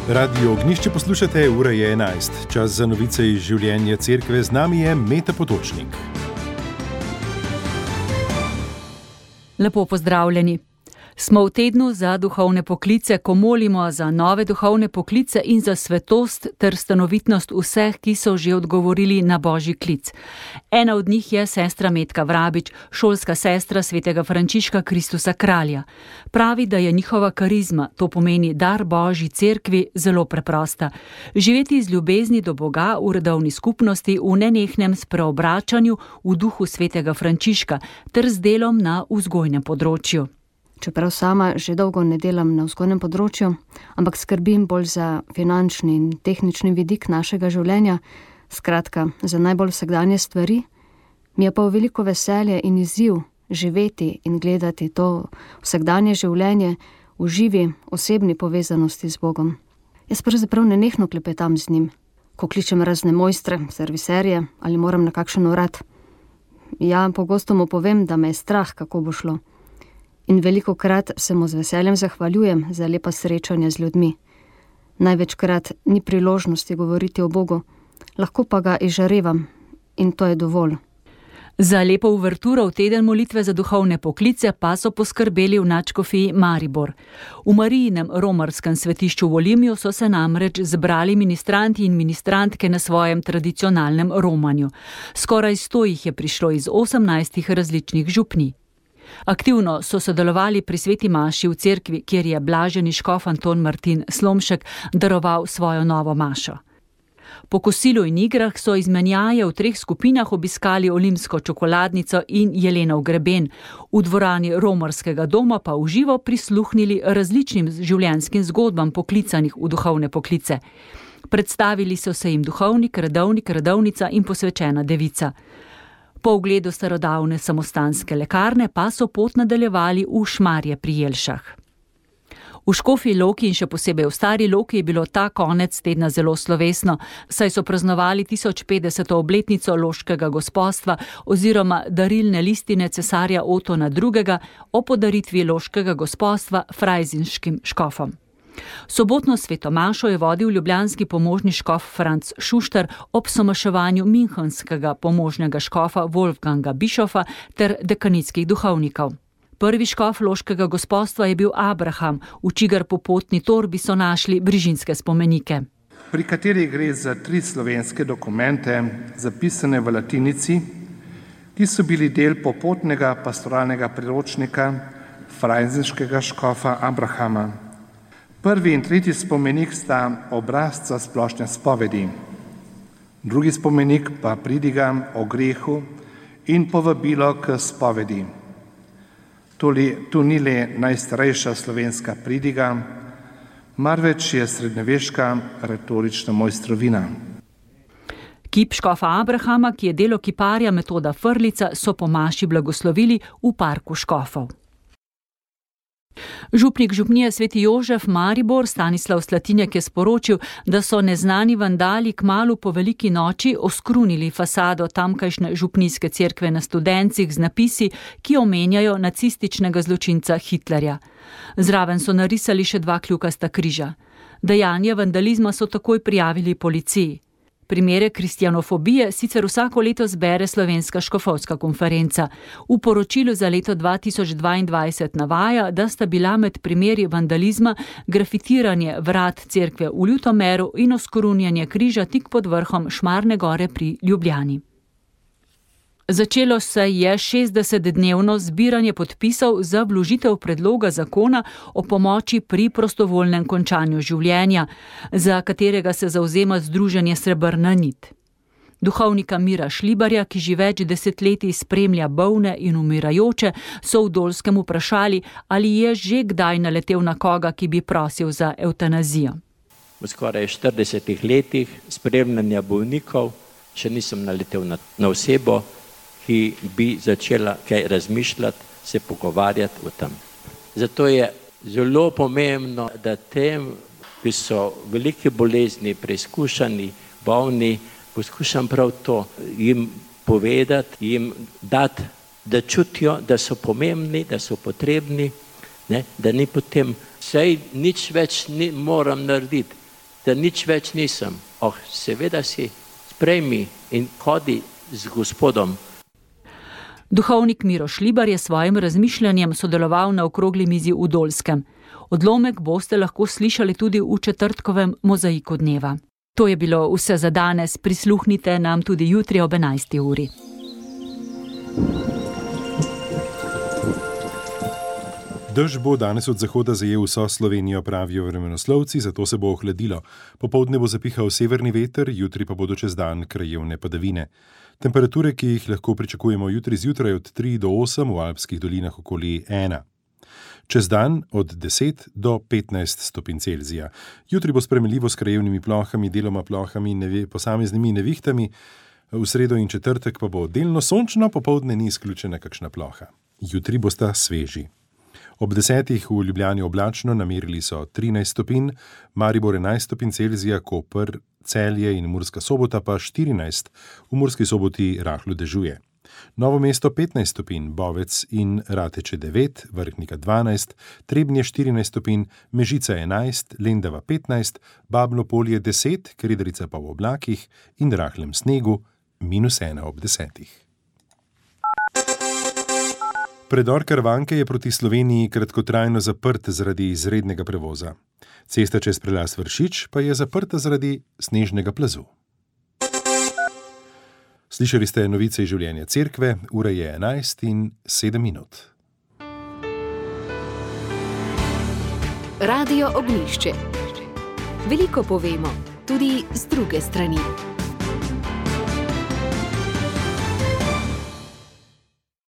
Radio Ognjišče poslušate, ura je 11. Čas za novice iz življenja cerkve, z nami je Meta Potočnik. Lepo pozdravljeni. Smo v tednu za duhovne poklice, ko molimo za nove duhovne poklice in za svetost ter stanovitnost vseh, ki so že odgovorili na Božji klic. Ena od njih je sestra Metka Vrabič, šolska sestra svetega Frančiška Kristusa Kralja. Pravi, da je njihova karizma, to pomeni dar Božji cerkvi, zelo preprosta. Živeti iz ljubezni do Boga v redovni skupnosti, v nenehnem spreobračanju v duhu svetega Frančiška ter z delom na vzgojnem področju. Čeprav sama že dolgo ne delam na vzgojnem področju, ampak skrbim bolj za finančni in tehnični vidik našega življenja, skratka, za najbolj vsakdanje stvari, mi je pa veliko veselje in izziv živeti in gledati to vsakdanje življenje v živi, osebni povezanosti z Bogom. Jaz pravzaprav nenehno klepetam z njim, ko kličem razne mojstre, serviserje ali moram na kakšen urad. Ja, pogosto mu povem, da me je strah, kako bo šlo. In velikokrat se mu z veseljem zahvaljujem za lepa srečanja z ljudmi. Največkrat ni priložnosti govoriti o Bogu, lahko pa ga izžarevam in to je dovolj. Za lepo uverturo v teden molitve za duhovne poklice pa so poskrbeli v nadškofiji Maribor. V Marijinem romarskem svetišču v Olimju so se namreč zbrali ministranti in ministrantke na svojem tradicionalnem romanju. Skoraj 100 jih je prišlo iz 18 različnih župnij. Aktivno so sodelovali pri sveti maši v cerkvi, kjer je blaženi škof Anton Martin Slomšek daroval svojo novo mašo. Po kosilu in igrah so izmenjaje v 3 skupinah obiskali Olimsko čokoladnico in Jelenov greben, v dvorani romarskega doma pa v živo prisluhnili različnim življenjskim zgodbam poklicanih v duhovne poklice. Predstavili so se jim duhovnik, redovnik, redovnica in posvečena devica. Po ogledu starodavne samostanske lekarne pa so pot nadaljevali v Šmarje pri Jelšah. V Škofji Loki in še posebej v Stari Loki je bilo ta konec tedna zelo slovesno, saj so praznovali 1050. obletnico loškega gospostva oziroma darilne listine cesarja Otona II. O podaritvi loškega gospostva frajzinškim škofom. Sobotno svetomašo je vodil ljubljanski pomožni škof Franc Šuštar ob somaševanju minhenskega pomožnega škofa Wolfganga Bišofa ter dekanitskih duhovnikov. Prvi škof loškega gospostva je bil Abraham, v čigar popotni torbi so našli brižinske spomenike. Pri kateri gre za 3 slovenske dokumente, zapisane v latinici, ki so bili del popotnega pastoralnega priročnika frajzinškega škofa Abrahama. Prvi in tretji spomenik sta obrazca splošne spovedi. Drugi spomenik pa pridiga o grehu in povabilo k spovedi. Tu ni le najstarejša slovenska pridiga, marveč je srednjeveška retorična mojstrovina. Kip škofa Abrahama, ki je delo kiparja Metoda Frlica, so po maši blagoslovili v parku škofov. Župnik župnije Sveti Jožef Maribor Stanislav Slatinjak je sporočil, da so neznani vandali kmalu po veliki noči oskrunili fasado tamkajšnje župnijske cerkve na Studencih z napisi, ki omenjajo nacističnega zločinca Hitlerja. Zraven so narisali še 2 kljukasta križa. Dejanje vandalizma so takoj prijavili policiji. Primere kristjanofobije sicer vsako leto zbere Slovenska škofovska konferenca. V poročilu za leto 2022 navaja, da sta bila med primeri vandalizma grafitiranje vrat cerkve v Ljutomeru in oskrunjanje križa tik pod vrhom Šmarne gore pri Ljubljani. Začelo se je 60-dnevno zbiranje podpisov za vložitev predloga zakona o pomoči pri prostovoljnem končanju življenja, za katerega se zavzema združenje Srebrna nit. Duhovnika Mira Šlibarja, ki že več desetletij spremlja bolne in umirajoče, so v Dolskem vprašali, ali je že kdaj naletel na koga, ki bi prosil za evtanazijo. V skoraj 40 letih spremljanja bolnikov še nisem naletel na osebo, ki bi začela kaj razmišljati, se pogovarjati o tem. Zato je zelo pomembno, da tem, ki so velike bolezni, preizkušani, bolni, poskušam prav to jim povedati, jim dati, da čutijo, da so pomembni, da so potrebni, ne? Da ni potem, saj nič več moram narediti, da nič več nisem. Seveda si, sprejmi in hodi z Gospodom. Duhovnik Miro Šlibar je svojim razmišljanjem sodeloval na okrogli mizi v Dolskem. Odlomek boste lahko slišali tudi v četrtkovem mozaiku dneva. To je bilo vse za danes, prisluhnite nam tudi jutri ob 11. uri. Dež bo danes od zahoda zajel vso Slovenijo, pravijo vremenoslovci, zato se bo ohladilo. Popoldne bo zapihal severni veter, jutri pa bodo čez dan krajevne padavine. Temperature, ki jih lahko pričakujemo jutri zjutraj od 3 do 8, v alpskih dolinah okoli 1. Čez dan od 10 do 15 stopinj Celzija. Jutri bo spremenljivo s krajevnimi plohami, deloma plohami in posameznimi nevihtami. V sredo in četrtek pa bo delno sončno, popoldne ni izključena kakšna ploha. Jutri bosta sveži. Ob 10 v Ljubljani oblačno, namerili so 13 stopinj, Maribor 11 stopinj Celzija, Koper, Celje in Murska Sobota pa 14, v Murski Soboti rahlo dežuje. Novo mesto 15 stopinj, Bovec in Rateče 9, Vrhnika 12, Trebnje 14 stopinj, Mežica 11, Lendava 15, Babno Polje 10, Kredarica pa v oblakih in rahlem snegu -1 ob 10. Predor Karavanke je proti Sloveniji kratkotrajno zaprt zaradi izrednega prevoza. Cesta čez prelaz Vršič pa je zaprta zaradi snežnega plazu. Slišali ste novice iz življenja cerkve, ura je 11:07. Radio Ognjišče. Veliko povemo, tudi z druge strani.